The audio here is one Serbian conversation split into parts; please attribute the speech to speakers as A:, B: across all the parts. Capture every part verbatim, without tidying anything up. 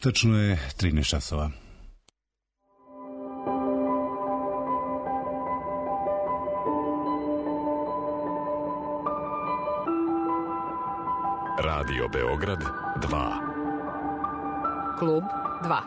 A: Tačno je trinaest časova.
B: Radio Beograd dva.
C: Klub dva.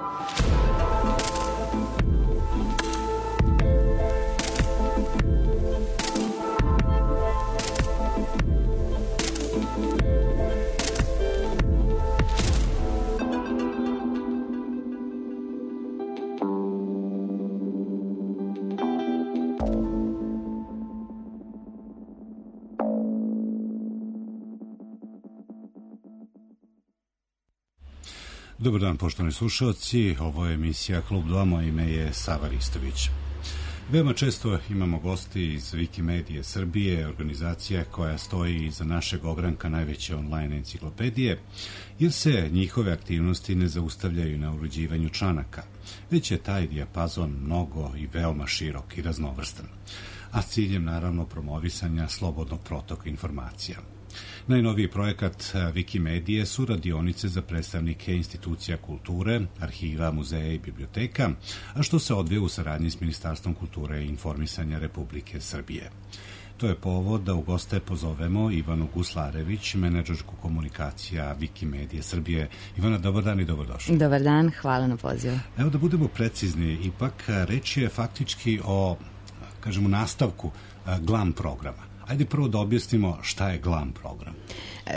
A: Dobar dan, poštovani slušalci, ovo je emisija Klub dva, moje ime je Sava Ristović. Veoma često imamo gosti iz Wikimedije Srbije, organizacija koja stoji iza našeg ogranka najveće online enciklopedije, jer se njihove aktivnosti ne zaustavljaju na uređivanju članaka, već je taj dijapazon mnogo i veoma širok i raznovrstan, a s ciljem naravno promovisanja slobodnog protoka informacija. Najnoviji projekat Wikimedije su radionice za predstavnike institucija kulture, arhiva, muzeja i biblioteka, a što se odvija u saradnji s Ministarstvom kulture i informisanja Republike Srbije. To je povod da u goste pozovemo Ivanu Guslarević, menadžerku komunikacija Wikimedije Srbije. Ivana, dobar dan i dobrodošli.
C: Dobar dan, hvala na pozivu.
A: Evo da budemo precizni, ipak reč je faktički o, kažemo, nastavku GLAM programa. Ajde prvo da objasnimo šta je GLAM program.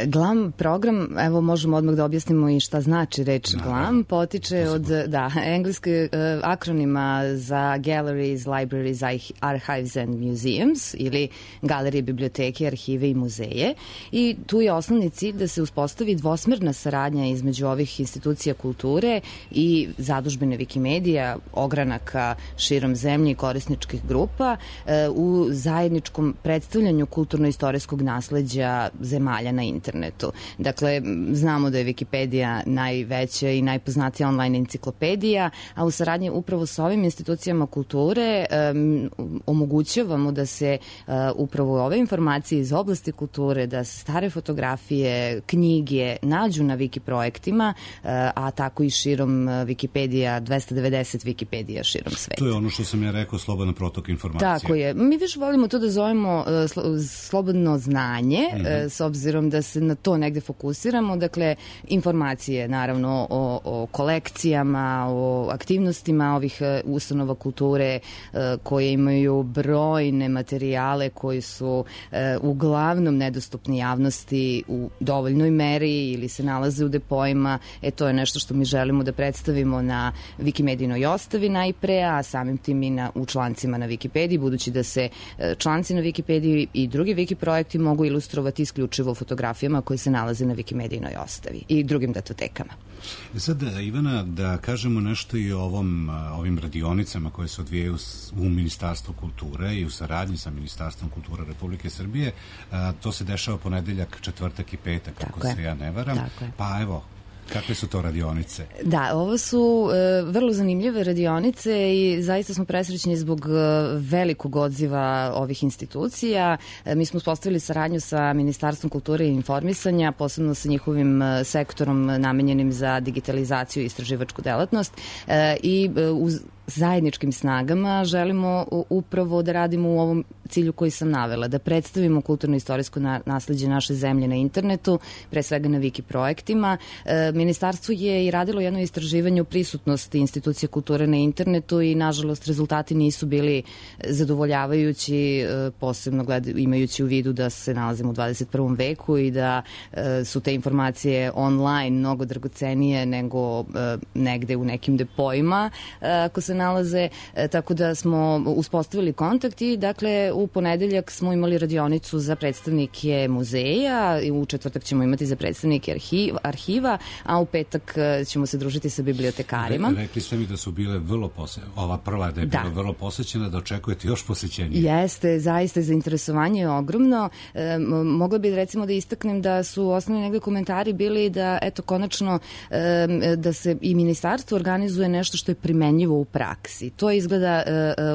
C: GLAM program, evo možemo odmah da objasnimo i šta znači reč Naravno. GLAM, potiče od da, engleske uh, akronima za Galleries, Libraries, Archives and Museums, ili galerije, biblioteke, arhive i muzeje. I tu je osnovni cilj da se uspostavi dvosmerna saradnja između ovih institucija kulture i zadužbine Wikimedija, ogranaka širom zemlje i korisničkih grupa uh, u zajedničkom predstavljanju kulturno-istorijskog nasleđa zemalja na internetu. Dakle, znamo da je Wikipedija najveća i najpoznatija online enciklopedija, a u saradnji upravo sa ovim institucijama kulture um, omogućavamo da se uh, upravo ove informacije iz oblasti kulture, da stare fotografije, knjige nađu na Wiki projektima, uh, a tako i širom Wikipedija, dvesta devedeset Wikipedija širom sveta.
A: To je ono što sam ja rekao, slobodan protok informacija.
C: Tako je. Mi više volimo to da zovemo uh, slo, slobodno znanje, mm-hmm. uh, s obzirom da se na to negde fokusiramo. Dakle, informacije naravno o, o kolekcijama, o aktivnostima ovih uh, ustanova kulture uh, koje imaju brojne materijale koji su uh, uglavnom nedostupni javnosti u dovoljnoj meri ili se nalaze u depojima. E, to je nešto što mi želimo da predstavimo na Wikimedijinoj ostavi najpre, a samim tim i na, u člancima na Wikipediji, budući da se uh, članci na Wikipediji i drugi Wiki projekti mogu ilustrovati isključivo fotografijama koje se nalaze na Wikimedijinoj ostavi i drugim datotekama.
A: Sad, Ivana, da kažemo nešto i o ovom, ovim radionicama koje se odvijaju u Ministarstvu kulture i u saradnji sa Ministarstvom kulture Republike Srbije. To se dešava ponedeljak, četvrtak i petak,
C: Tako
A: kako
C: je.
A: se ja ne varam. Pa evo, kakve su to radionice?
C: Da, ovo su e, vrlo zanimljive radionice i zaista smo presrećni zbog e, velikog odziva ovih institucija. E, mi smo uspostavili saradnju sa Ministarstvom kulture i informisanja, posebno sa njihovim e, sektorom namenjenim za digitalizaciju i istraživačku delatnost e, i e, uz zajedničkim snagama želimo upravo da radimo u ovom cilju koji sam navela, da predstavimo kulturno-istorijsko nasleđe naše zemlje na internetu, pre svega na Wiki projektima. E, Ministarstvo je i radilo jedno istraživanje o prisutnosti institucija kulture na internetu i nažalost rezultati nisu bili zadovoljavajući, e, posebno gled, imajući u vidu da se nalazimo u dvadeset prvom veku i da e, su te informacije online mnogo dragocenije nego e, negde u nekim depojima, e, ako se nalaze, e, tako da smo uspostavili kontakt i dakle u ponedeljak smo imali radionicu za predstavnike muzeja, u četvrtak ćemo imati za predstavnike arhiva, arhiva a u petak ćemo se družiti sa bibliotekarima.
A: Re, rekli ste mi da su bile vrlo posećene, ova prva da je bila da. vrlo posećena, da očekujete još posećenije.
C: Jeste, zaista zainteresovanje je ogromno. E, mogla bi recimo da istaknem da su osnovni negde komentari bili da eto konačno e, da se i ministarstvo organizuje nešto što je primenjivo u praksi. praksi. To je izgleda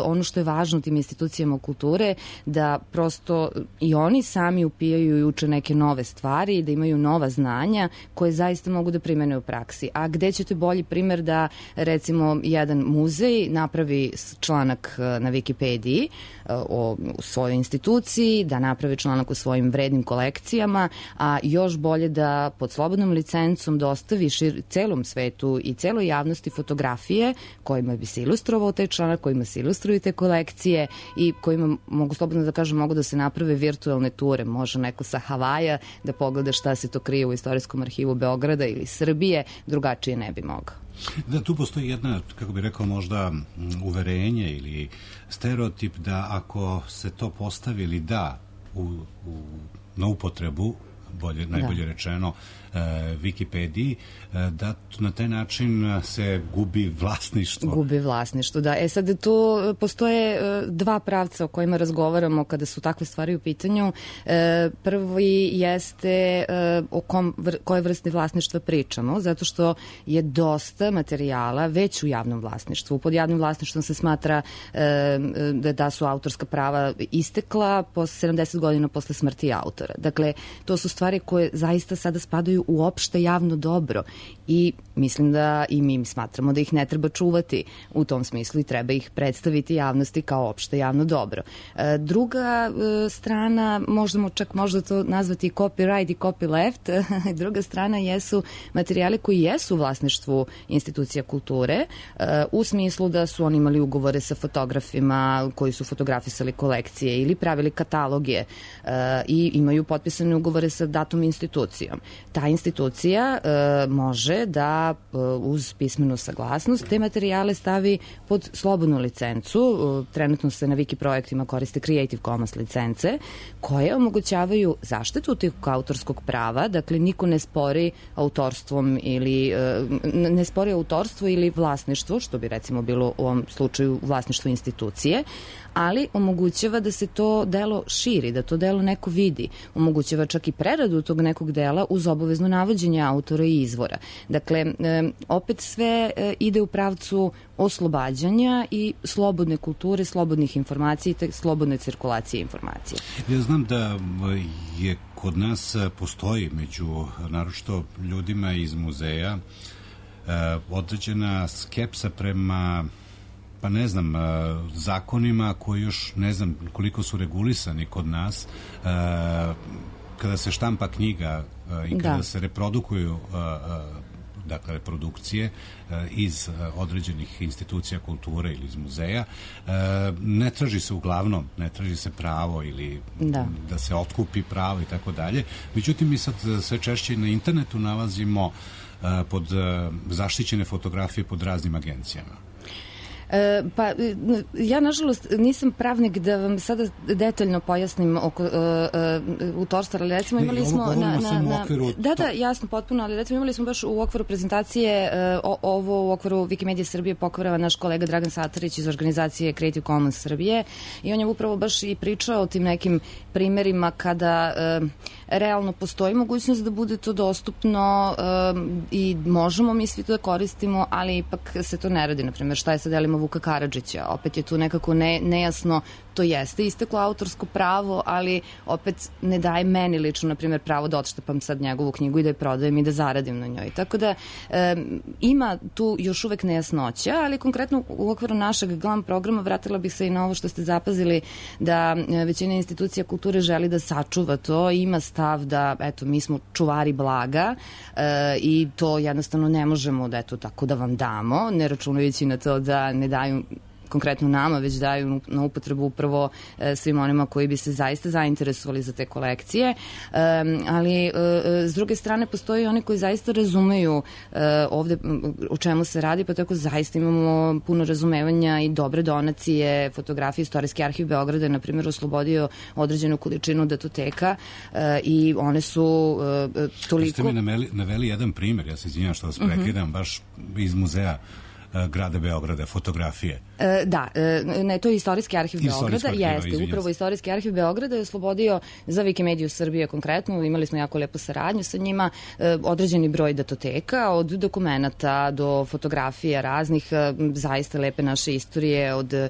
C: ono što je važno tim institucijama kulture, da prosto i oni sami upijaju i uče neke nove stvari, da imaju nova znanja koje zaista mogu da primene u praksi. A gde ćete bolji primer da, recimo, jedan muzej napravi članak na Wikipediji o svojoj instituciji, da napravi članak o svojim vrednim kolekcijama, a još bolje da pod slobodnom licencom dostavi šir, celom svetu i celoj javnosti fotografije kojima bi se ilustrovao taj članak, kojima se ilustruju te kolekcije i kojima, mogu slobodno da kažem, mogu da se naprave virtualne ture. Može neko sa Havaja da pogleda šta se to krije u Istorijskom arhivu Beograda ili Srbije, drugačije ne bi mogao.
A: Da, tu postoji jedna, kako bih rekao, možda uverenje ili stereotip da ako se to postavi ili da u, u, na upotrebu, bolje, najbolje da. rečeno, e, Wikipediji, e, da na taj način se gubi vlasništvo.
C: Gubi vlasništvo, da. E sad, tu postoje e, dva pravca o kojima razgovaramo kada su takve stvari u pitanju. E, prvi jeste e, o kom, vr, koje vrste vlasništva pričamo, zato što je dosta materijala već u javnom vlasništvu. Pod javnim vlasništvom se smatra e, da, da su autorska prava istekla posle sedamdeset godina posle smrti autora. Dakle, to su stvari koje zaista sada spadaju u opšte javno dobro i mislim da i mi smatramo da ih ne treba čuvati u tom smislu i treba ih predstaviti javnosti kao opšte javno dobro. E, druga e, strana, možemo čak možda to nazvati copyright i copyleft, druga strana jesu materijali koji jesu u vlasništvu institucija kulture, e, u smislu da su oni imali ugovore sa fotografima koji su fotografisali kolekcije ili pravili kataloge e, i imaju potpisane ugovore sa datom institucijom. Ta institucija e, može da e, uz pismenu saglasnost te materijale stavi pod slobodnu licencu. E, trenutno se na Wiki projektima koriste Creative Commons licence koje omogućavaju zaštitu tih autorskog prava, dakle niko ne spori autorstvom ili e, ne spori autorstvo ili vlasništvo, što bi recimo bilo u ovom slučaju vlasništvo institucije, ali omogućava da se to delo širi, da to delo neko vidi. Omogućava čak i preradu tog nekog dela uz obavezno navođenje autora i izvora. Dakle, opet sve ide u pravcu oslobađanja i slobodne kulture, slobodnih informacija i te slobodne cirkulacije informacija.
A: Ja znam da je kod nas postoji među naročito ljudima iz muzeja određena skepsa prema, pa ne znam, zakonima koji još ne znam koliko su regulisani kod nas, kada se štampa knjiga i kada da. se reprodukuju dakle reprodukcije iz određenih institucija kulture ili iz muzeja, ne traži se uglavnom, ne traži se pravo ili da, da se otkupi pravo i tako dalje. Međutim, mi sad sve češće na internetu nalazimo pod zaštićene fotografije pod raznim agencijama.
C: E, pa, ja nažalost nisam pravnik da vam sada detaljno pojasnim oko uh, uh, autorstva, ali recimo imali ne, smo na, na, na, okviru... da, da, jasno, potpuno, ali recimo imali smo baš u okviru prezentacije uh, ovo u okviru Wikimedia Srbije pokvarava naš kolega Dragan Satarić iz organizacije Creative Commons Srbije i on je upravo baš i pričao o tim nekim primerima kada uh, realno postoji mogućnost da bude to dostupno uh, i možemo mi svi to da koristimo, ali ipak se to ne radi. Naprimjer, šta je sa delima Vuka Karadžića? Opet je tu nekako ne, nejasno, to jeste isteklo autorsko pravo, ali opet ne daje meni lično, na primjer, pravo da odštepam sad njegovu knjigu i da je prodajem i da zaradim na njoj. Tako da e, ima tu još uvek nejasnoća, ali konkretno u okviru našeg glam programa vratila bih se i na ovo što ste zapazili, da većina institucija kulture želi da sačuva to i ima stav da, eto, mi smo čuvari blaga e, i to jednostavno ne možemo da, eto, tako da vam damo, ne računajući na to da ne daju konkretno nama, već daju na upotrebu upravo e, svim onima koji bi se zaista zainteresovali za te kolekcije. E, ali e, s druge strane postoji oni koji zaista razumeju e, ovde o čemu se radi, pa tako zaista imamo puno razumevanja i dobre donacije, fotografije. Istorijski arhiv Beograda je, na primjer, oslobodio određenu količinu datoteka e, i one su e, toliko...
A: Ste mi naveli, naveli jedan primjer, ja se izvinjam što vas prekidam, uh-huh. baš iz muzeja grada Beograda, fotografije.
C: E, da, e, ne, to je Istorijski arhiv Beograda,
A: arhiva,
C: jeste, upravo Istorijski arhiv Beograda je oslobodio za Wikimediju Srbije konkretno, imali smo jako lepu saradnju sa njima, e, određeni broj datoteka, od dokumenata do fotografija raznih, e, zaista lepe naše istorije, od e,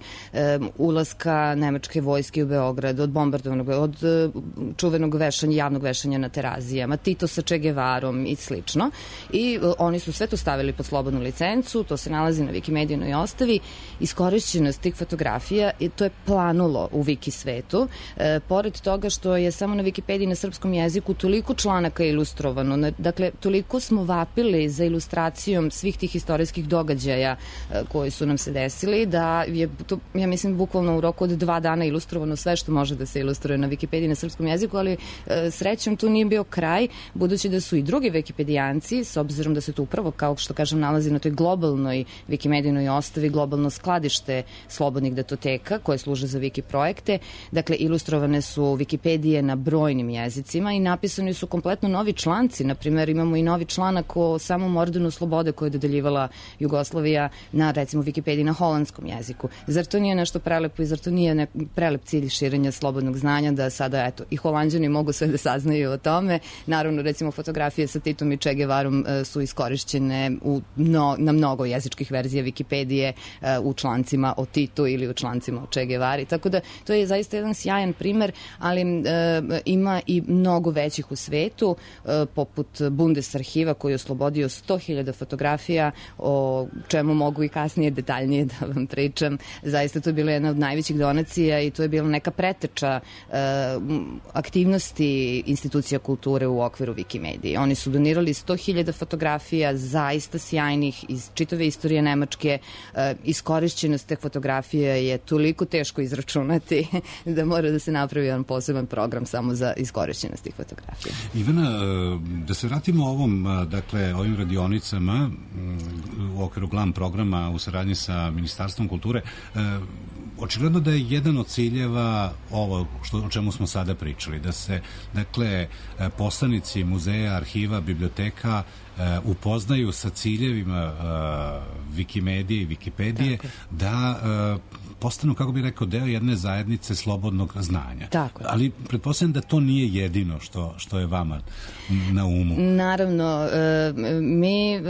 C: ulaska nemačke vojske u Beograd, od bombardovanog, od e, čuvenog vešanja, javnog vešanja na Terazijama, Tito sa Che Guevarom i slično. I e, oni su sve to stavili pod slobodnu licencu, to se nalazi na Wikimedijinoj ostavi. Iskorišćenost tih fotografija, i to je planulo u Wiki svetu. E, pored toga što je samo na Wikipediji na srpskom jeziku toliko članaka ilustrovano, na, dakle, toliko smo vapili za ilustracijom svih tih istorijskih događaja e, koji su nam se desili, da je to, ja mislim, bukvalno u roku od dva dana ilustrovano sve što može da se ilustruje na Wikipediji na srpskom jeziku, ali e, srećom tu nije bio kraj, budući da su i drugi Wikipedijanci, s obzirom da se to upravo, kao što kažem, nalazi na toj globalnoj Wikimedijinoj ostavi, globalno skladište slobodnih datoteka koje služe za Wiki projekte. Dakle, ilustrovane su Wikipedije na brojnim jezicima i napisani su kompletno novi članci. Naprimer, imamo i novi članak o samom ordenu slobode koje je dodeljivala Jugoslavija na, recimo, Wikipediji na holandskom jeziku. Zar to nije nešto prelepo i zar to nije nek prelep cilj širenja slobodnog znanja, da sada, eto, i Holanđani mogu sve da saznaju o tome. Naravno, recimo, fotografije sa Titom i Che Guevarom e, su iskorišćene u, no, na mnogo jezičkih verzija Wikipedije, e, u člancima o Titu ili u člancima o Che Guevari. Tako da to je zaista jedan sjajan primer, ali e, ima i mnogo većih u svetu, e, poput Bundesarhiva koji je oslobodio sto hiljada fotografija, o čemu mogu i kasnije detaljnije da vam pričam. Zaista to je bila jedna od najvećih donacija i to je bila neka preteča e, aktivnosti institucija kulture u okviru Wikimedije. Oni su donirali sto hiljada fotografija, zaista sjajnih, iz čitave istorije Nemačke. E, iskorišćenost te fotografije je toliko teško izračunati da mora da se napravi jedan poseban program samo za iskorišćenost tih fotografija.
A: Ivana, da se vratimo ovom, dakle, ovim radionicama u okviru GLAM programa u saradnji sa Ministarstvom kulture. Očigledno da je jedan od ciljeva ovo što, o čemu smo sada pričali, da se, dakle, poslanici muzeja, arhiva, biblioteka Uh, upoznaju sa ciljevima uh, Wikimedije i Wikipedije, tako, da uh, postanu, kako bih rekao, deo jedne zajednice slobodnog znanja.
C: Tako.
A: Ali pretpostavljam da to nije jedino što, što je vama na umu.
C: Naravno, uh, mi uh,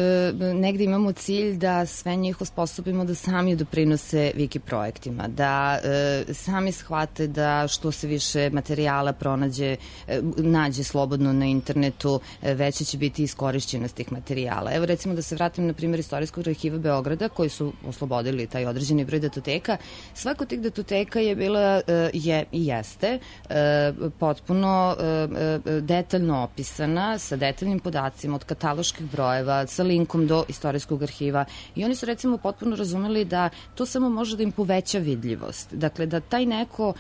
C: negde imamo cilj da sve njih osposobimo da sami doprinose Wiki projektima, da uh, sami shvate da što se više materijala pronađe, uh, nađe slobodno na internetu, uh, veće će biti iskorišćenost tih materijala. Evo, recimo, da se vratim na primjer Istorijskog arhiva Beograda, koji su oslobodili taj određeni broj datoteka. Svako tih datoteka je bila, je i jeste potpuno detaljno opisana, sa detaljnim podacima, od kataloških brojeva, sa linkom do Istorijskog arhiva, i oni su, recimo, potpuno razumeli da to samo može da im poveća vidljivost. Dakle, da taj neko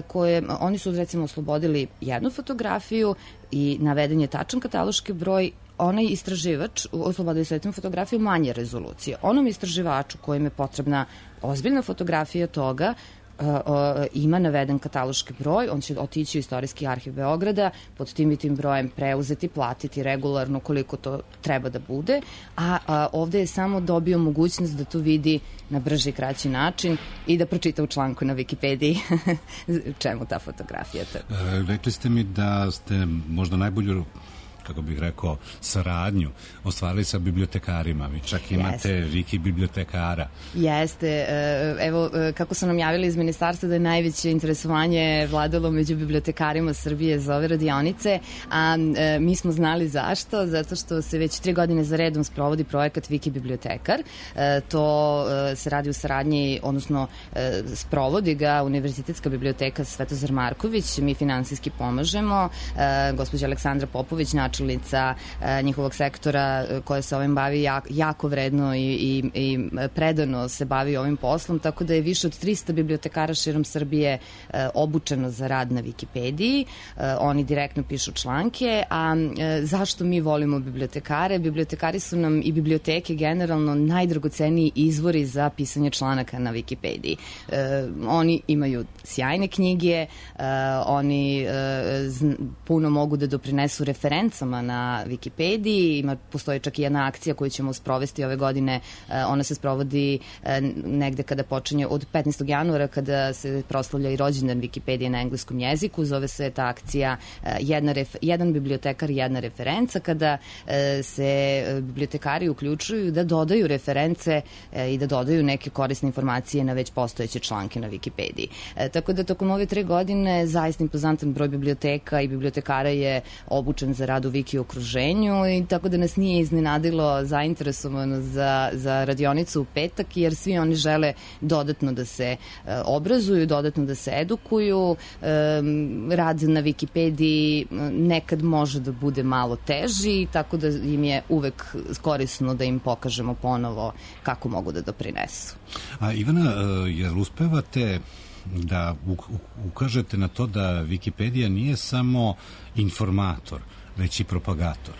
C: koje, oni su, recimo, oslobodili jednu fotografiju i naveden je tačan kataloški broj, onaj istraživač oslobodio sa jednom fotografiju manje rezolucije. Onom istraživaču kojem je potrebna ozbiljna fotografija toga, Uh, uh, ima naveden kataloški broj, on će otići u Istorijski arhiv Beograda, pod tim i tim brojem preuzeti, platiti regularno koliko to treba da bude, a, a ovde je samo dobio mogućnost da to vidi na brži i kraći način i da pročita u članku na Wikipediji čemu ta fotografija. E,
A: rekli ste mi da ste možda najbolju, kako bih rekao, saradnju ostvarili sa bibliotekarima. Vi čak imate Jeste. Wiki bibliotekara.
C: Jeste. Evo, kako su nam javili iz ministarstva da je najveće interesovanje vladalo među bibliotekarima Srbije za ove radionice, a mi smo znali zašto, zato što se već tri godine za redom sprovodi projekat Wiki bibliotekar. To se radi u saradnji, odnosno sprovodi ga Univerzitetska biblioteka Svetozar Marković, mi finansijski pomažemo, gospođa Aleksandra Popović, načelnica njihovog sektora koja se ovim bavi jako, jako vredno i, i, i predano se bavi ovim poslom, tako da je više od trista bibliotekara širom Srbije e, obučeno za rad na Wikipediji. E, oni direktno pišu članke, a e, zašto mi volimo bibliotekare? Bibliotekari su nam i biblioteke generalno najdragoceniji izvori za pisanje članaka na Wikipediji. E, oni imaju sjajne knjige, e, oni e, z, puno mogu da doprinesu referencama stranicama na Wikipediji, ima, postoji čak i jedna akcija koju ćemo sprovesti ove godine, ona se sprovodi negde kada počinje od petnaestog januara, kada se proslavlja i rođendan Wikipedije na engleskom jeziku, zove se ta akcija jedna ref, jedan bibliotekar, jedna referenca, kada se bibliotekari uključuju da dodaju reference i da dodaju neke korisne informacije na već postojeće članke na Wikipediji. E, tako da tokom ove tre godine zaista impozantan broj biblioteka i bibliotekara je obučen za rad u Wiki okruženju i tako da nas nije iznenadilo zainteresovano za, za radionicu u petak, jer svi oni žele dodatno da se e, obrazuju, dodatno da se edukuju. E, rad na Wikipediji nekad može da bude malo teži, tako da im je uvek korisno da im pokažemo ponovo kako mogu da doprinesu.
A: A Ivana, jel uspevate da ukažete na to da Wikipedija nije samo informator, već i propagator?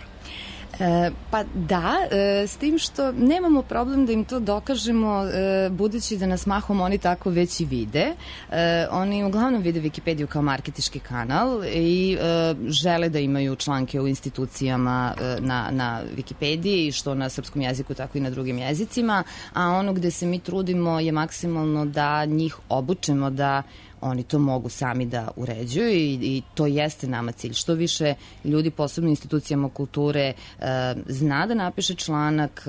C: E, pa da, e, s tim što nemamo problem da im to dokažemo, e, budući da nas mahom oni tako već i vide. E, oni uglavnom vide Wikipediju kao marketički kanal i e, žele da imaju članke u institucijama e, na, na Wikipediji, što na srpskom jeziku, tako i na drugim jezicima, a ono gde se mi trudimo je maksimalno da njih obučemo da oni to mogu sami da uređuju i, i to jeste nama cilj. Što više ljudi, posebno institucijama kulture, e, zna da napiše članak,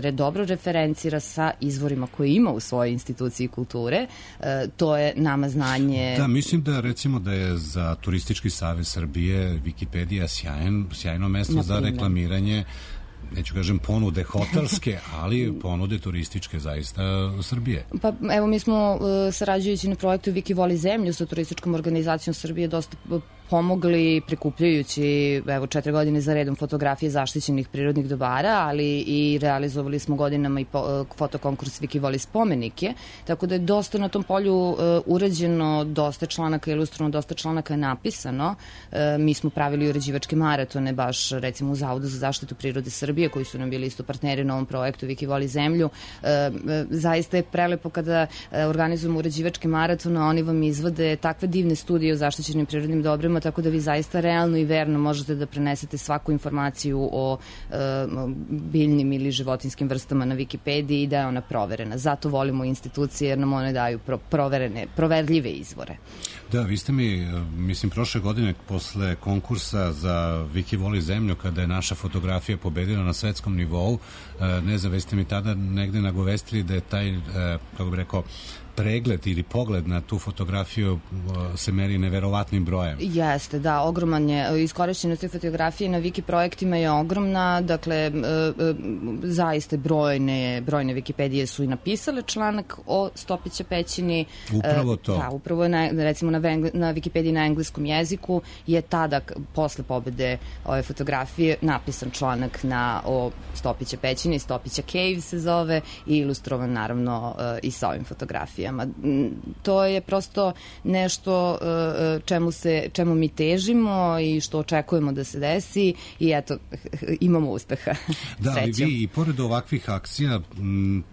C: e, dobro referencira sa izvorima koje ima u svojoj instituciji kulture, e, to je nama znanje.
A: Da, mislim da recimo da je za Turistički savez Srbije Wikipedija sjajan, sjajno mesto za reklamiranje, neću kažem ponude hotelske, ali ponude turističke zaista Srbije.
C: Pa evo, mi smo uh, sarađujući na projektu Viki voli zemlju sa turističkom organizacijom Srbije dosta pomogli prikupljajući evo četiri godine za redom fotografije zaštićenih prirodnih dobara, ali i realizovali smo godinama i po, fotokonkurs Viki voli spomenike, tako da je dosta na tom polju uh, urađeno, dosta članaka ilustrovano, dosta članaka je napisano. Uh, mi smo pravili uređivačke maratone baš recimo u Zavodu za zaštitu prirode Srbije, koji su nam bili isto partneri na ovom projektu Viki voli zemlju. Uh, zaista je prelepo kada uh, organizujemo uređivačke maratone, oni vam izvode takve divne studije o zaštićenim prirodnim dobrima, tako da vi zaista realno i verno možete da prenesete svaku informaciju o e, biljnim ili životinskim vrstama na Wikipediji i da je ona proverena. Zato volimo institucije jer nam one daju pro, proverene, proverljive izvore.
A: Da, vi ste mi, mislim, prošle godine posle konkursa za Viki voli zemlju, kada je naša fotografija pobedila na svetskom nivou, ne znam, ste mi tada negde nagovestili da je taj, kako bih rekao, pregled ili pogled na tu fotografiju se meri neverovatnim brojem.
C: Jeste, da, ogroman je. Iskorišćenost te fotografije na Wiki projektima je ogromna, dakle, e, e, zaiste brojne, brojne Wikipedije su i napisale članak o Stopića pećini.
A: Upravo to.
C: Da, upravo je, na, recimo, na, na Wikipediji na engleskom jeziku je tada, posle pobede ove fotografije, napisan članak na, o Stopića pećini, Stopića Cave se zove, i ilustrovan, naravno, e, i sa ovim fotografijama. To je prosto nešto čemu, se, čemu mi težimo i što očekujemo da se desi i eto, imamo uspeha.
A: Da, ali vi i pored ovakvih akcija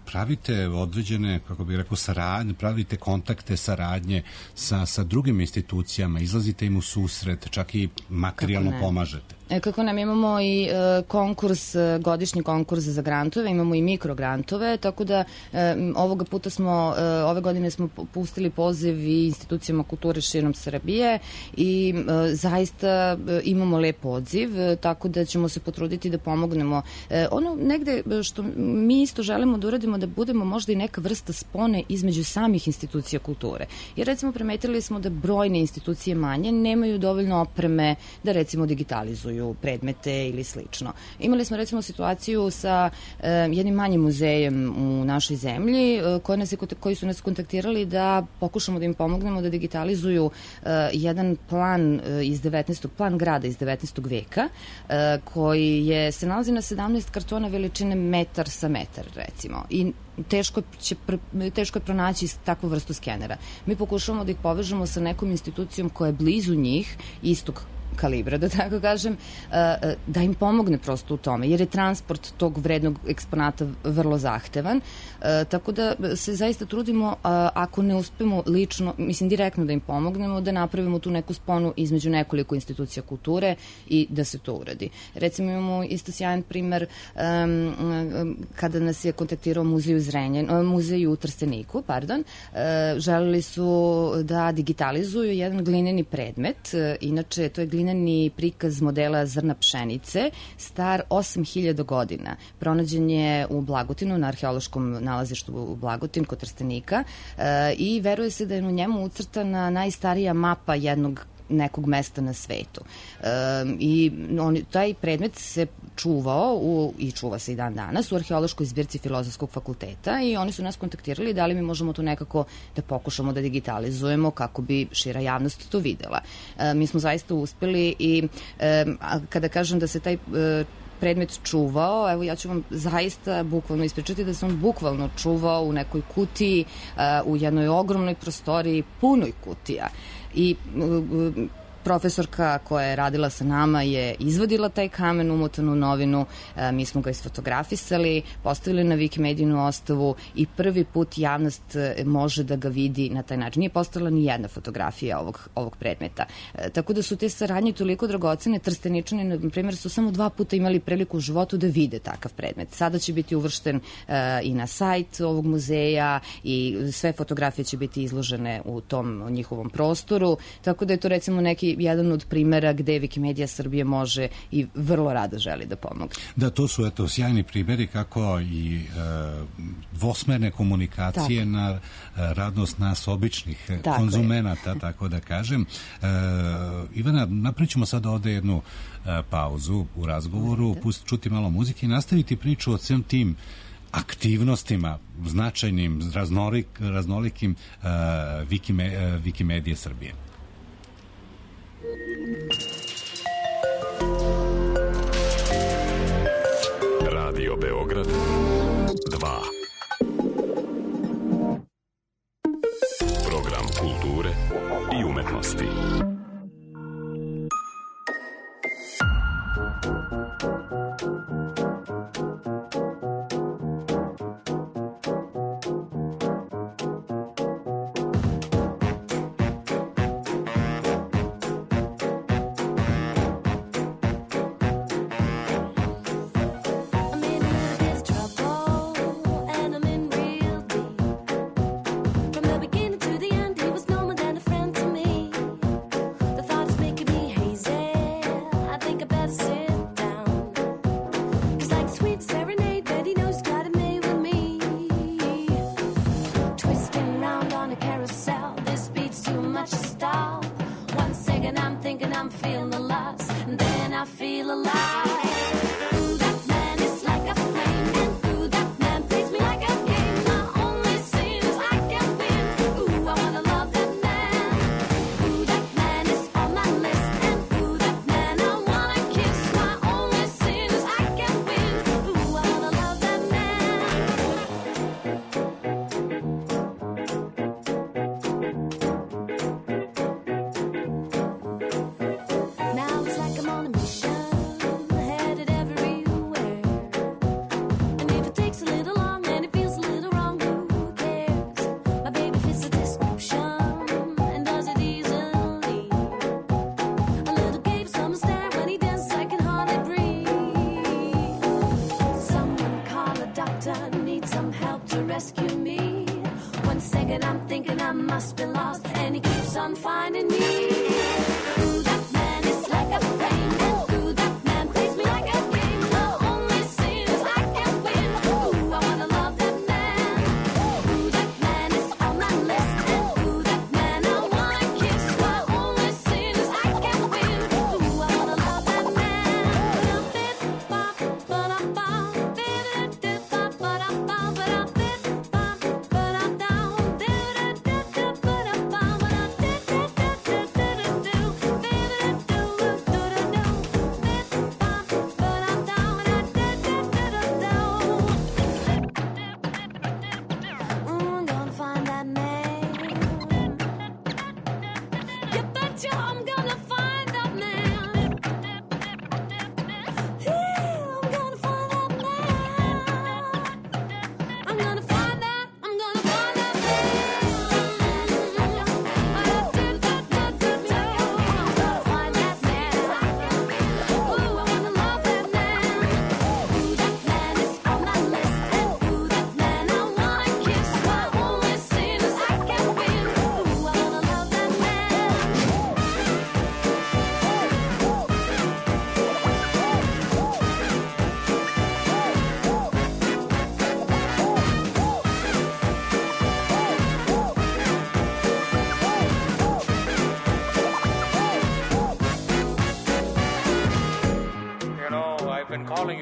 A: pravite određene, kako bih rekao, saradnje, pravite kontakte, saradnje sa, sa drugim institucijama, izlazite im u susret, čak i materijalno pomažete.
C: E, kako nam imamo i e, konkurs, godišnji konkurs za grantove, imamo i mikrograntove, tako da e, ovoga puta smo, e, ove godine smo pustili poziv i institucijama kulture širom Srbije i e, zaista e, imamo lep odziv, e, tako da ćemo se potruditi da pomognemo. E, ono negde što mi isto želimo da uradimo, da budemo možda i neka vrsta spone između samih institucija kulture. Jer recimo primetili smo da brojne institucije manje nemaju dovoljno opreme da recimo digitalizuju predmete ili slično. Imali smo recimo situaciju sa uh, jednim manjim muzejem u našoj zemlji uh, koji, nas je, koji su nas kontaktirali da pokušamo da im pomognemo da digitalizuju uh, jedan plan uh, iz devetnaestog plan grada iz devetnaestog veka uh, koji je, se nalazi na sedamnaest kartona veličine metar sa metar recimo i teško, će, teško je pronaći takvu vrstu skenera. Mi pokušavamo da ih povežemo sa nekom institucijom koja je blizu njih, istog kalibra, da tako kažem, da im pomogne prosto u tome, jer je transport tog vrednog eksponata vrlo zahtevan, tako da se zaista trudimo, ako ne uspemo lično, mislim direktno da im pomognemo, da napravimo tu neku sponu između nekoliko institucija kulture i da se to uradi. Recimo imamo isto sjajan primer um, kada nas je kontaktirao muzej u Zrenjan, muzej u Trsteniku, pardon, uh, želeli su da digitalizuju jedan glineni predmet, uh, inače to je glineni prikaz modela zrna pšenice, star osam hiljada godina. Pronađen je u Blagutinu, na arheološkom nalazištu u Blagotin kod Trstenika uh, i veruje se da je u njemu ucrtana najstarija mapa jednog nekog mesta na svetu. E, I on, taj predmet se čuvao u, i čuva se i dan danas u arheološkoj zbirci Filozofskog fakulteta i oni su nas kontaktirali da li mi možemo to nekako da pokušamo da digitalizujemo kako bi šira javnost to videla. E, mi smo zaista uspeli i e, kada kažem da se taj e, predmet čuvao, evo ja ću vam zaista bukvalno ispričati da se on bukvalno čuvao u nekoj kutiji, uh, u jednoj ogromnoj prostoriji, punoj kutija. I uh, profesorka koja je radila sa nama je izvadila taj kamen umotan u novinu, e, mi smo ga isfotografisali, postavili na Wikimedijinu ostavu i prvi put javnost može da ga vidi na taj način. Nije postala ni jedna fotografija ovog, ovog predmeta. E, tako da su te saradnje toliko dragocene. Trsteničani, na primjer, su samo dva puta imali priliku u životu da vide takav predmet. Sada će biti uvršten e, i na sajt ovog muzeja i sve fotografije će biti izložene u tom njihovom prostoru, tako da je to recimo neki jedan od primera gde Wikimedija Srbije može i vrlo rado želi da pomogne.
A: Da, to su eto sjajni primjeri kako i e, dvosmerne komunikacije tako. Na radnost nas običnih tako konzumenata, je. Tako da kažem. E, Ivana, napričamo sad ovde jednu e, pauzu u razgovoru, pustiti čuti malo muzike i nastaviti priču o svim tim aktivnostima značajnim, raznolik, raznolikim uh, Wikime, uh, Wikimedije Srbije.
B: Radio Beograd dva. Program kulture i umetnosti.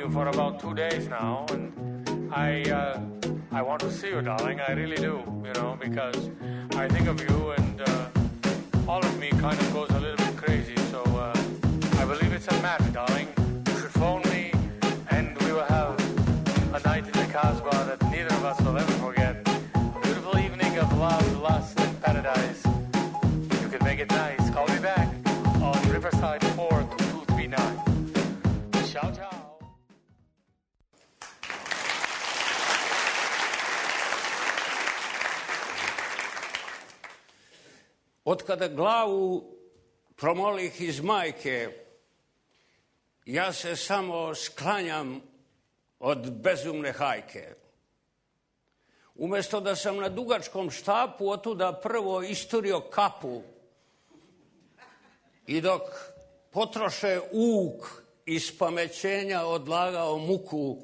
D: you for about two days now, and I uh, I want to see you, darling. I really do, you know, because I think of you, and uh, all of me kind of goes a little bit crazy. So uh, I believe it's a match, darling. You should phone me, and we will have a night in the Casbah that neither of us will ever forget. A beautiful evening of love, lust, and paradise. You can make it nice. Call me back on Riverside four two two three nine. Ciao, ciao.
E: Od kada glavu promolih iz majke, ja se samo sklanjam od bezumne hajke. Umesto da sam na dugačkom štapu otuda prvo isturio kapu i dok potroše uk iz pamećenja odlagao muku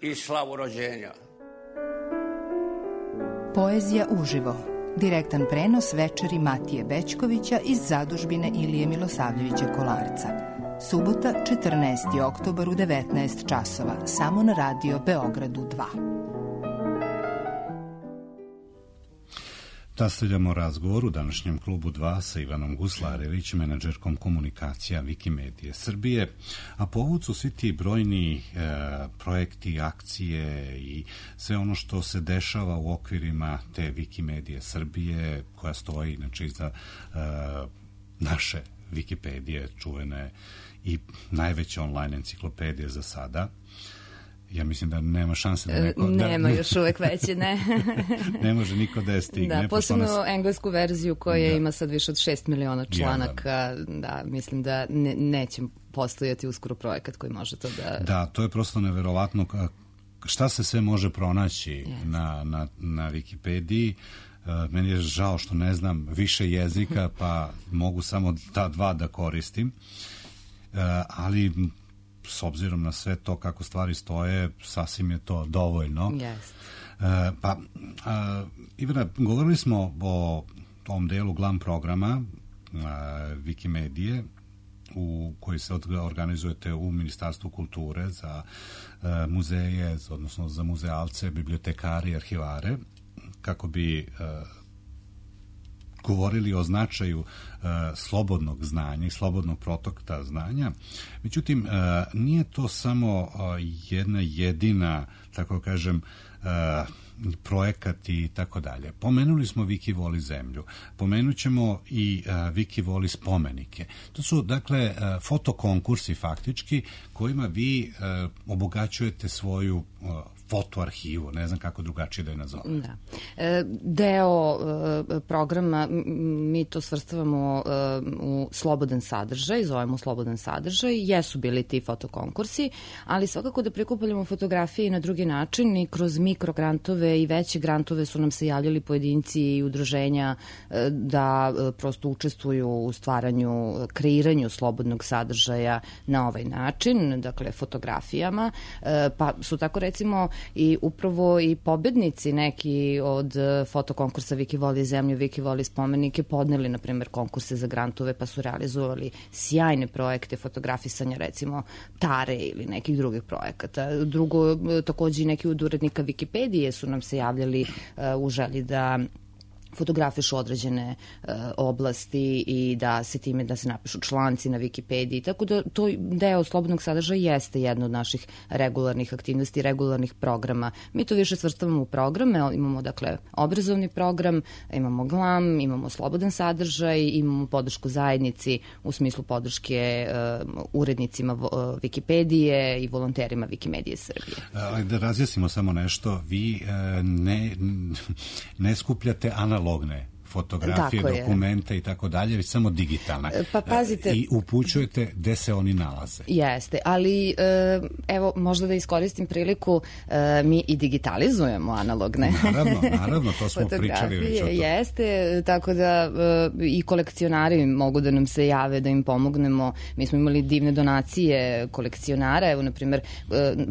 E: i slavu rođenja.
F: Poezija uživo. Direktan prenos večeri Matije Bećkovića iz zadužbine Ilije Milosavljevića Kolarca. Subota, četrnaesti oktobar u devetnaest časova, samo na Radio Beogradu dva.
A: Nastavljamo razgovor u današnjem klubu dva sa Ivanom Guslarević, menadžerkom komunikacija Wikimedije Srbije, a povod su svi ti brojni e, projekti, akcije i sve ono što se dešava u okvirima te Wikimedije Srbije, koja stoji inače iza e, naše Wikipedije, čuvene i najveće online enciklopedije za sada. Ja mislim da nema šanse da neko...
C: Nema
A: da,
C: još uvek veće, ne.
A: Ne može niko da je stigne.
C: Da, posebno nas... englesku verziju koja
A: da.
C: ima sad više od šest miliona članaka. Ja, da. da, mislim da ne, neće postojati uskoro projekat koji može to da...
A: Da, to je prosto neverovatno šta se sve može pronaći yes. na, na, na Wikipediji. Uh, meni je žao što ne znam više jezika, pa mogu samo ta dva da koristim. Uh, ali... s obzirom na sve to kako stvari stoje, sasvim je to dovoljno.
C: Yes.
A: E, pa, a, Ivana, govorili smo o tom delu glam programa a, Wikimedije u koji se organizujete u Ministarstvu kulture za a, muzeje, odnosno za muzealce, bibliotekare i arhivare, kako bi a, govorili o značaju uh, slobodnog znanja i slobodnog protoka znanja. Međutim, uh, nije to samo uh, jedna jedina, tako kažem, uh, projekat i tako dalje. Pomenuli smo Viki voli zemlju. Pomenut ćemo i uh, Viki voli spomenike. To su, dakle, uh, fotokonkursi faktički kojima vi uh, obogaćujete svoju uh, fotoarhivu, ne znam kako drugačije da je nazovem.
C: Da. E, deo e, programa, mi to svrstavamo e, u slobodan sadržaj, zovemo slobodan sadržaj, jesu bili ti fotokonkursi, ali svakako da prikupljamo fotografije i na drugi način i kroz mikrograntove i veće grantove su nam se javljali pojedinci i udruženja e, da e, prosto učestvuju u stvaranju, kreiranju slobodnog sadržaja na ovaj način, dakle fotografijama, e, pa su tako recimo i upravo i pobednici neki od fotokonkursa Viki voli zemlju, Viki voli spomenike podneli, na primjer, konkurse za grantove, pa su realizovali sjajne projekte fotografisanja, recimo Tare ili nekih drugih projekata. Drugo, takođe i neki od urednika Wikipedije su nam se javljali uh, u želji da fotografišu određene uh, oblasti i da se time da se napišu članci na Wikipediji, tako da to deo slobodnog sadržaja jeste jedna od naših regularnih aktivnosti, regularnih programa. Mi to više svrstavamo u programe, imamo dakle obrazovni program, imamo glam, imamo slobodan sadržaj, imamo podršku zajednici u smislu podrške uh, urednicima uh, Wikipedije i volonterima Wikimedije Srbije.
A: Ali da razjasnimo samo nešto, vi uh, ne, ne skupljate analog logne fotografije, dokumente i tako dalje, već samo digitalne.
C: Pa pazite.
A: I upućujete gde se oni nalaze.
C: Jeste, ali evo, možda da iskoristim priliku, mi i digitalizujemo analogne.
A: Naravno, naravno, to smo pričali već o to.
C: Jeste, tako da i kolekcionari mogu da nam se jave, da im pomognemo. Mi smo imali divne donacije kolekcionara, evo, na primjer,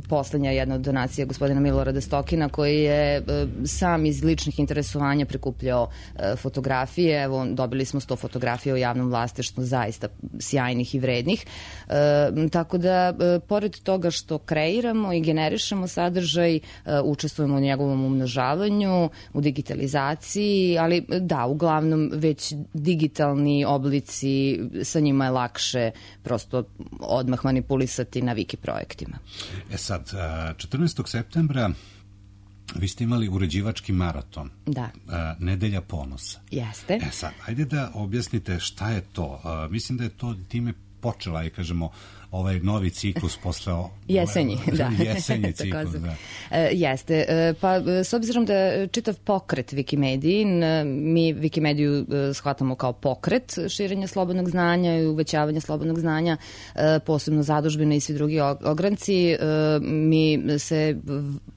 C: poslednja jedna od donacija gospodina Milorada Stokina, koji je sam iz ličnih interesovanja prikupljao fotografije fotografije, evo dobili smo sto fotografija u javnom vlasništvu, zaista sjajnih i vrednih, e, tako da e, pored toga što kreiramo i generišemo sadržaj, e, učestvujemo u njegovom umnožavanju, u digitalizaciji, ali da, uglavnom već digitalni oblici, sa njima je lakše prosto odmah manipulisati na Wiki projektima.
A: E sad, četrnaestog septembra vi ste imali uređivački maraton.
C: Da.
A: Nedelja ponosa.
C: Jeste.
A: E sad, ajde da objasnite šta je to. Mislim da je to time počela i kažemo ovaj novi ciklus posle...
C: Jesenji, da.
A: Jesenji ciklus, da.
C: E, jeste. E, pa, s obzirom da čitav pokret Wikimediji, mi Wikimediju shvatamo kao pokret širenja slobodnog znanja i uvećavanja slobodnog znanja, e, posebno zadužbine i svi drugi ogranci. E, mi se,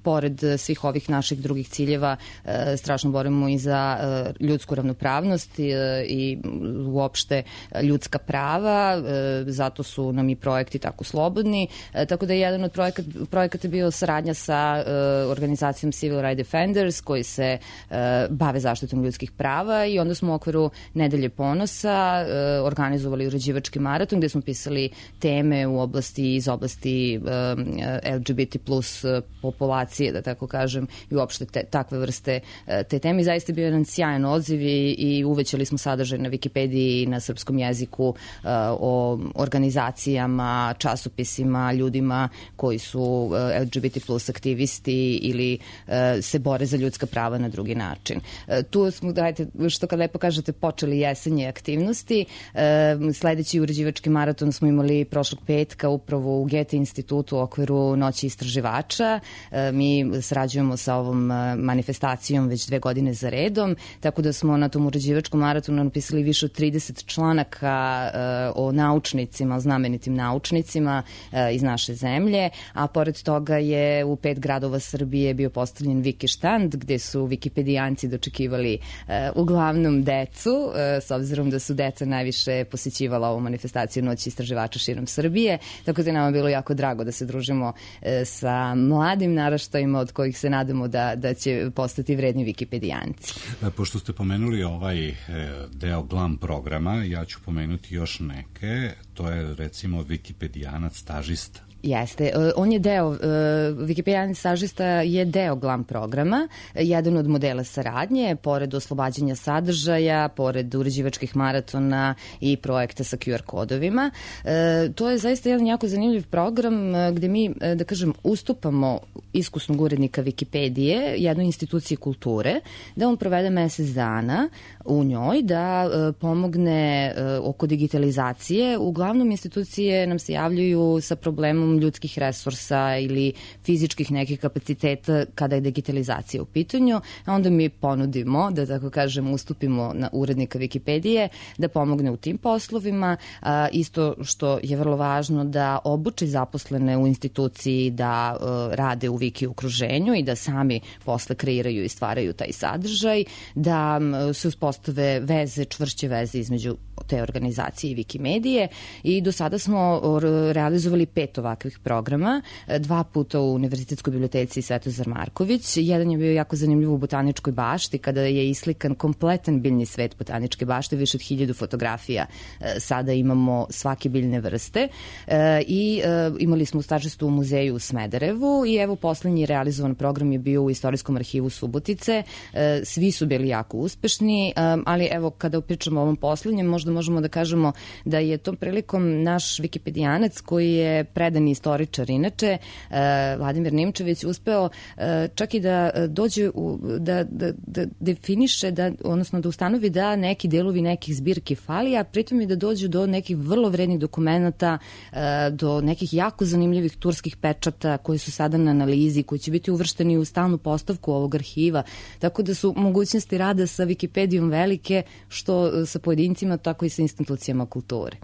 C: pored svih ovih naših drugih ciljeva, e, strašno borimo i za e, ljudsku ravnopravnost i, i uopšte ljudska prava, e, zato su nam i projekti tako slobodni, e, tako da je jedan od projekat, projekata bio saradnja sa e, organizacijom Civil Rights Defenders koji se e, bave zaštitom ljudskih prava i onda smo u okviru Nedelje ponosa e, organizovali uređivački maraton gde smo pisali teme u oblasti, iz oblasti e, L G B T plus populacije, da tako kažem, i uopšte te, takve vrste e, te teme. Zaista je bio jedan sjajan odziv i, i uvećali smo sadržaj na Wikipediji i na srpskom jeziku e, o organizacijama, časopisima, ljudima koji su L G B T plus aktivisti ili e, se bore za ljudska prava na drugi način. E, tu smo, dajte, što kad lepo kažete, počeli jesenje aktivnosti. E, sledeći uređivački maraton smo imali prošlog petka upravo u Goethe institutu u okviru Noći istraživača. E, mi sarađujemo sa ovom manifestacijom već dve godine za redom, tako da smo na tom uređivačkom maratonu napisali više od trideset članaka e, o naučnicima, znamenitim naučnicima iz naše zemlje, a pored toga je u pet gradova Srbije bio postavljen Wiki štand gde su Wikipedijanci dočekivali uh, uglavnom decu, uh, s obzirom da su deca najviše posećivala ovu manifestaciju Noći istraživača širom Srbije, tako da je nama bilo jako drago da se družimo uh, sa mladim naraštajima od kojih se nadamo da, da će postati vredni Wikipedijanci.
A: Pošto ste pomenuli ovaj deo glam programa, ja ću pomenuti još neke, to je recimo Wikipedijanac stažista.
C: Jeste. On je deo, uh, Wikipedijanac stažista je deo glam programa, jedan od modela saradnje, pored oslobađanja sadržaja, pored uređivačkih maratona i projekta sa Q R kodovima. Uh, to je zaista jedan jako zanimljiv program uh, gde mi, uh, da kažem, ustupamo iskusnog urednika Wikipedije, jednoj instituciji kulture, da on provede mesec dana u njoj, da uh, pomogne uh, oko digitalizacije. Uglavnom, institucije nam se javljaju sa problemom ljudskih resursa ili fizičkih nekih kapaciteta kada je digitalizacija u pitanju, a onda mi ponudimo, da tako kažem, ustupimo na urednika Wikipedije da pomogne u tim poslovima. A, isto što je vrlo važno da obuči zaposlene u instituciji da a, rade u Wiki okruženju i da sami posle kreiraju i stvaraju taj sadržaj, da a, se uspostave veze, čvršće veze između te organizacije i Wikimedije i do sada smo realizovali pet ovakvih programa, dva puta u Univerzitetskoj biblioteci Svetozar Marković. Jedan je bio jako zanimljiv u Botaničkoj bašti kada je islikan kompletan biljni svet Botaničke bašte, više od hiljadu fotografija sada imamo svake biljne vrste i imali smo stažistu u muzeju u Smederevu i evo poslednji realizovan program je bio u Istorijskom arhivu Subotice. Svi su bili jako uspešni, ali evo kada pričamo o ovom poslednjem, možda možemo da kažemo da je tom prilikom naš Wikipedijanac koji je predani istoričar inače, Vladimir Nimčević, uspeo čak i da dođe u, da, da, da definiše, da, odnosno da ustanovi da neki delovi nekih zbirki fali, a pritom i da dođe do nekih vrlo vrednih dokumenta, do nekih jako zanimljivih turskih pečata koji su sada na analizi, koji će biti uvršteni u stalnu postavku ovog arhiva. Tako da su mogućnosti rada sa Wikipedijom velike, što sa pojedincima, tako i sa institucijama kulture.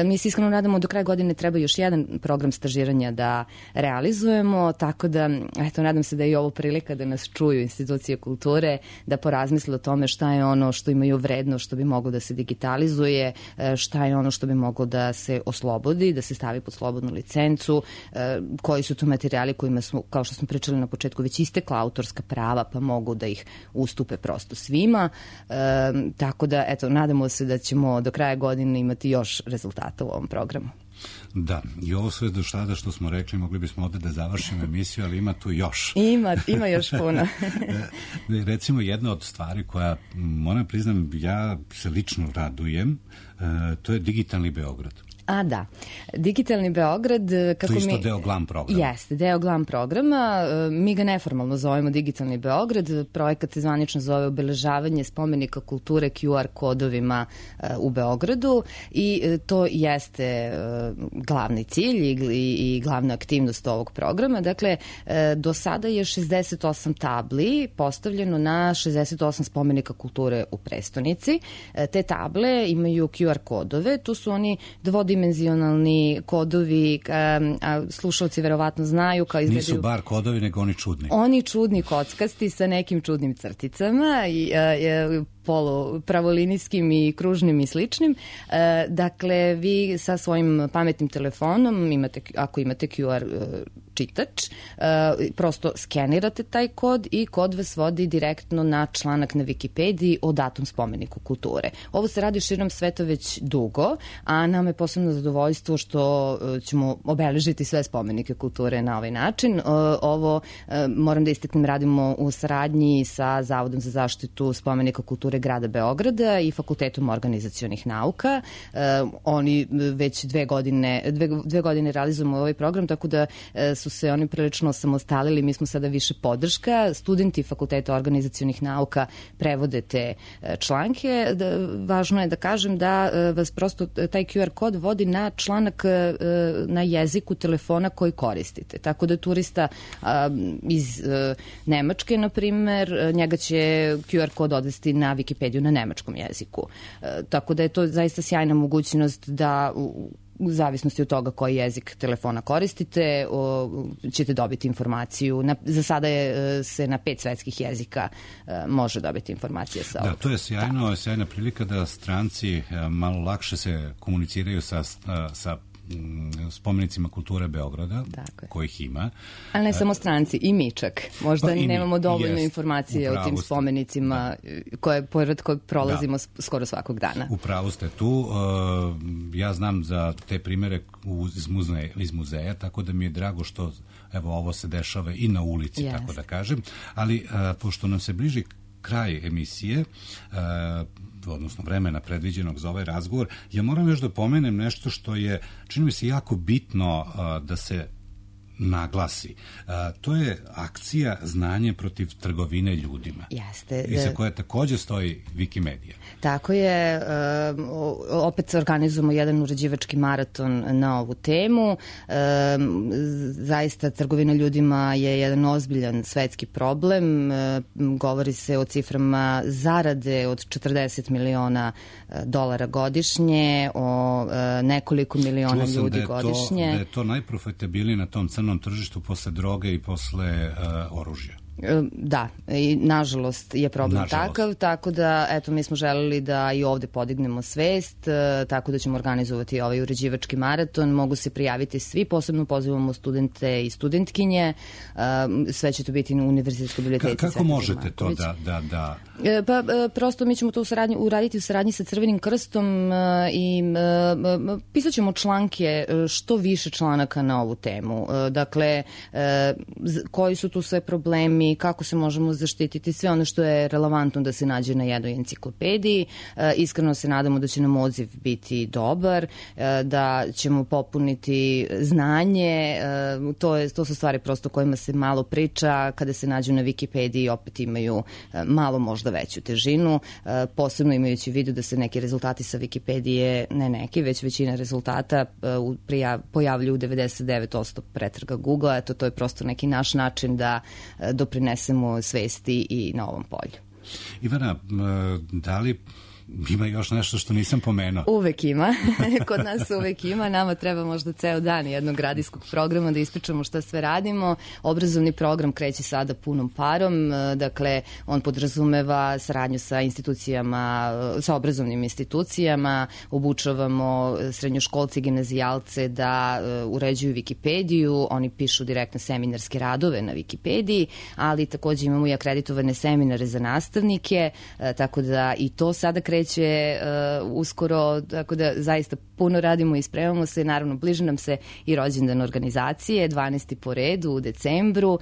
C: Mi se iskreno nadamo do kraja godine treba još jedan program stažiranja da realizujemo, tako da, eto, nadam se da je i ovo prilika da nas čuju institucije kulture, da porazmisle o tome šta je ono što imaju vredno, što bi moglo da se digitalizuje, šta je ono što bi moglo da se oslobodi, da se stavi pod slobodnu licencu, koji su to materijali kojima smo, kao što smo pričali na početku, već istekla autorska prava, pa mogu da ih ustupe prosto svima. E, tako da, eto, nadamo se da ćemo do kraja godine imati još rezultata u ovom programu.
A: Da, i ovo sve do sada što smo rekli, mogli bismo ovde da završimo emisiju, ali ima tu još.
C: Ima, ima još puno.
A: Recimo, jedna od stvari koja, moram priznam, ja se lično radujem, to je Digitalni Beograd.
C: A da, Digitalni Beograd... Kako
A: to je isto
C: mi...
A: deo GLAM programa.
C: Jeste, deo GLAM programa. Mi ga neformalno zovemo Digitalni Beograd. Projekat se zvanično zove obeležavanje spomenika kulture Q R kodovima u Beogradu i to jeste glavni cilj i, i glavna aktivnost ovog programa. Dakle, do sada je šezdeset osam tabli postavljeno na šezdeset osam spomenika kulture u prestonici. Te table imaju Q R kodove. Tu su oni dvodimenzionalni kodovi, a slušalci verovatno znaju kao izgledaju...
A: Nisu bar kodovi, nego oni čudni.
C: Oni čudni kockasti sa nekim čudnim crticama i a, polu pravolinijskim i kružnim i sličnim. E, dakle, vi sa svojim pametnim telefonom, imate, ako imate Q R čitač, e, prosto skenirate taj kod i kod vas vodi direktno na članak na Wikipediji o datom spomeniku kulture. Ovo se radi širom sveta već dugo, a nam je posebno zadovoljstvo što ćemo obeležiti sve spomenike kulture na ovaj način. E, ovo, e, moram da istaknem, radimo u saradnji sa Zavodom za zaštitu spomenika kulture grada Beograda i Fakultetom organizacionih nauka. E, oni već dve godine, dve, dve godine realizujemo ovaj program, tako da e, su se oni prilično osamostalili, mi smo sada više podrška. Studenti Fakulteta organizacionih nauka prevode te e, članke. Da, važno je da kažem da e, vas prosto taj Q R kod vodi na članak e, na jeziku telefona koji koristite. Tako da turista a, iz e, Nemačke, na primer, njega će Q R kod odvesti na Wikipediju na nemačkom jeziku. E, tako da je to zaista sjajna mogućnost da u, u zavisnosti od toga koji jezik telefona koristite, o, ćete dobiti informaciju. Na, za sada je, se na pet svetskih jezika e, može dobiti informacije sa ovog.
A: Da, to je sjajno, da. sjajna prilika da stranci e, malo lakše se komuniciraju sa, sa spomenicima kulture Beograda, kojih ima.
C: Ali ne samo stranci, i mi čak. Možda pa nemamo dovoljno jest, informacije o tim spomenicima da. koje, pored kojeg prolazimo da. skoro svakog dana.
A: Upravo ste tu. Ja znam za te primere iz muzeja, iz muzeja, tako da mi je drago što evo ovo se dešava i na ulici, jest. tako da kažem. Ali pošto nam se bliži kraj emisije, odnosno vremena predviđenog za ovaj razgovor, ja moram još da pomenem nešto što je, čini mi se, jako bitno da se naglasi. A, to je akcija Znanje protiv trgovine ljudima.
C: Jeste.
A: I za koje takođe stoji Wikimedia.
C: Tako je. E, opet organizujemo jedan uređivački maraton na ovu temu. E, zaista trgovina ljudima je jedan ozbiljan svetski problem. E, govori se o ciframa zarade od četrdeset miliona dolara godišnje, o e, nekoliko miliona ljudi
A: da
C: godišnje.
A: To, da je to najprofitabilnije na tom crnom tržištu posle droge i posle uh, oružja.
C: Da, i nažalost je problem
A: nažalost.
C: takav, tako da eto mi smo želeli da i ovde podignemo svest, tako da ćemo organizovati ovaj uređivački maraton, mogu se prijaviti svi, posebno pozivamo studente i studentkinje, sve će to biti na Univerzitetskoj biblioteci.
A: Ka, kako možete to da, da, da...
C: Pa prosto mi ćemo to u saradnji, uraditi u saradnji sa Crvenim krstom i pisat ćemo članke, što više članaka na ovu temu. Dakle, koji su tu sve problemi, kako se možemo zaštititi, sve ono što je relevantno da se nađe na jednoj enciklopediji. E, iskreno se nadamo da će nam odziv biti dobar, e, da ćemo popuniti znanje, e, to, je, to su stvari prosto kojima se malo priča, kada se nađu na Wikipediji opet imaju e, malo možda veću težinu, e, posebno imajući u vidu da se neki rezultati sa Wikipedije, ne neki, već većina rezultata e, prijav, pojavljuju u devedeset devet posto pretraga Google-a, eto to je prosto neki naš način da e, doprinesemo svesti i na ovom polju.
A: Ivana, da li ima još nešto što nisam pomenuo.
C: Uvek ima. Kod nas uvek ima. Nama treba možda ceo dan jednog radijskog programa da ispričamo šta sve radimo. Obrazovni program kreće sada punom parom. Dakle, on podrazumeva saradnju sa institucijama, sa obrazovnim institucijama. Obučavamo srednjoškolce i gimnazijalce da uređuju Wikipediju. Oni pišu direktno seminarske radove na Wikipediji, ali takođe imamo i akreditovane seminare za nastavnike, tako da i to sada kreće uh, uskoro, tako da zaista puno radimo i spremamo se. Naravno, bliže nam se i rođendan organizacije, dvanaesti po redu u decembru. Uh,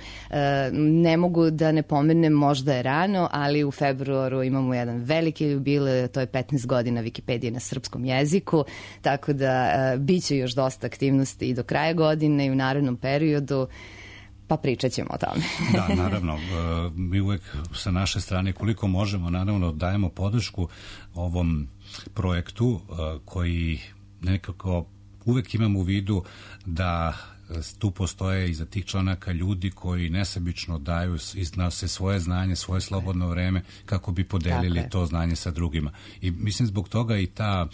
C: ne mogu da ne pomenem, možda je rano, ali u februaru imamo jedan veliki jubilej, to je petnaest godina Wikipedije na srpskom jeziku, tako da uh, bit će još dosta aktivnosti i do kraja godine i u narednom periodu. Pa pričat ćemo o tome.
A: Da, naravno. Mi uvek sa naše strane, koliko možemo, naravno dajemo podršku ovom projektu koji nekako uvek imamo u vidu da tu postoje iza tih članaka ljudi koji nesebično daju, iznose svoje znanje, svoje slobodno vreme kako bi podelili to znanje sa drugima. I mislim zbog toga i ta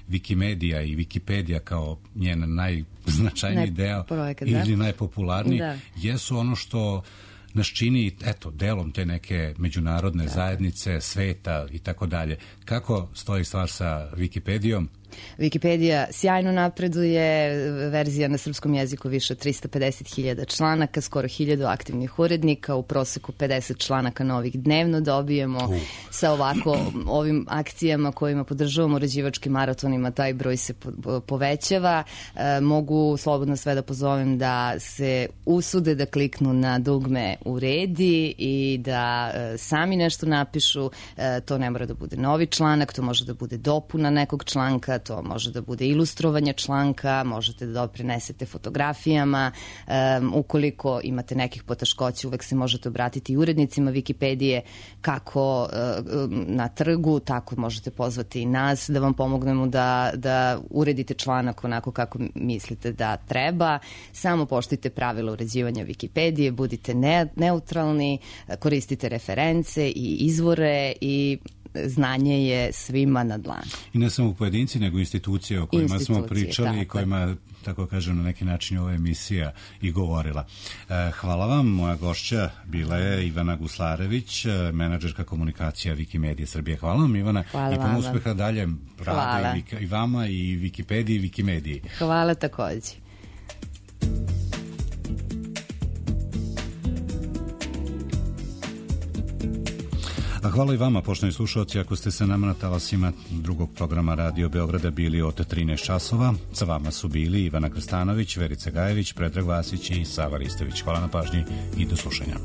A: Wikimedija i Wikipedija kao njen najznačajniji deo
C: projekat,
A: ili
C: da?
A: najpopularniji
C: da.
A: jesu ono što nas čini, eto, delom te neke međunarodne da. zajednice, sveta i tako dalje. Kako stoji stvar sa Wikipedijom?
C: Wikipedija sjajno napreduje, verzija na srpskom jeziku više od trista pedeset hiljada članaka, skoro hiljadu aktivnih urednika, u proseku pedeset članaka novih dnevno dobijemo. Uh. Sa ovako ovim akcijama kojima podržavamo uređivačkim maratonima, taj broj se po, povećava. E, mogu slobodno sve da pozovem da se usude da kliknu na dugme uredi i da e, sami nešto napišu. E, to ne mora da bude novi članak, to može da bude dopuna nekog članka, to može da bude ilustrovanje članka, možete da doprinesete fotografijama, um, ukoliko imate nekih poteškoća, uvek se možete obratiti i urednicima Wikipedije, kako uh, na trgu, tako možete pozvati i nas da vam pomognemo da, da uredite članak onako kako mislite da treba. Samo poštujte pravila uređivanja Wikipedije, budite ne, neutralni, koristite reference i izvore i znanje je svima na dlanu. I
A: ne samo pojedinci, nego institucije o kojima institucije, smo pričali tako. I kojima, tako kažem, na neki način ova emisija i govorila. Hvala vam. Moja gošća bila je Ivana Guslarević, menadžerka komunikacija Wikimedije Srbije. Hvala vam, Ivana. Hvala i puno uspeha dalje radu i, i vama i Wikipediji i Wikimediji.
C: Hvala takođe.
A: A hvala i vama, poštovani slušalci, ako ste se nama na talasima drugog programa Radio Beograda bili od trinaest časova. Sa vama su bili Ivana Krstanović, Verica Gajević, Predrag Vasić i Sava Ristović. Hvala na pažnji i do slušanja.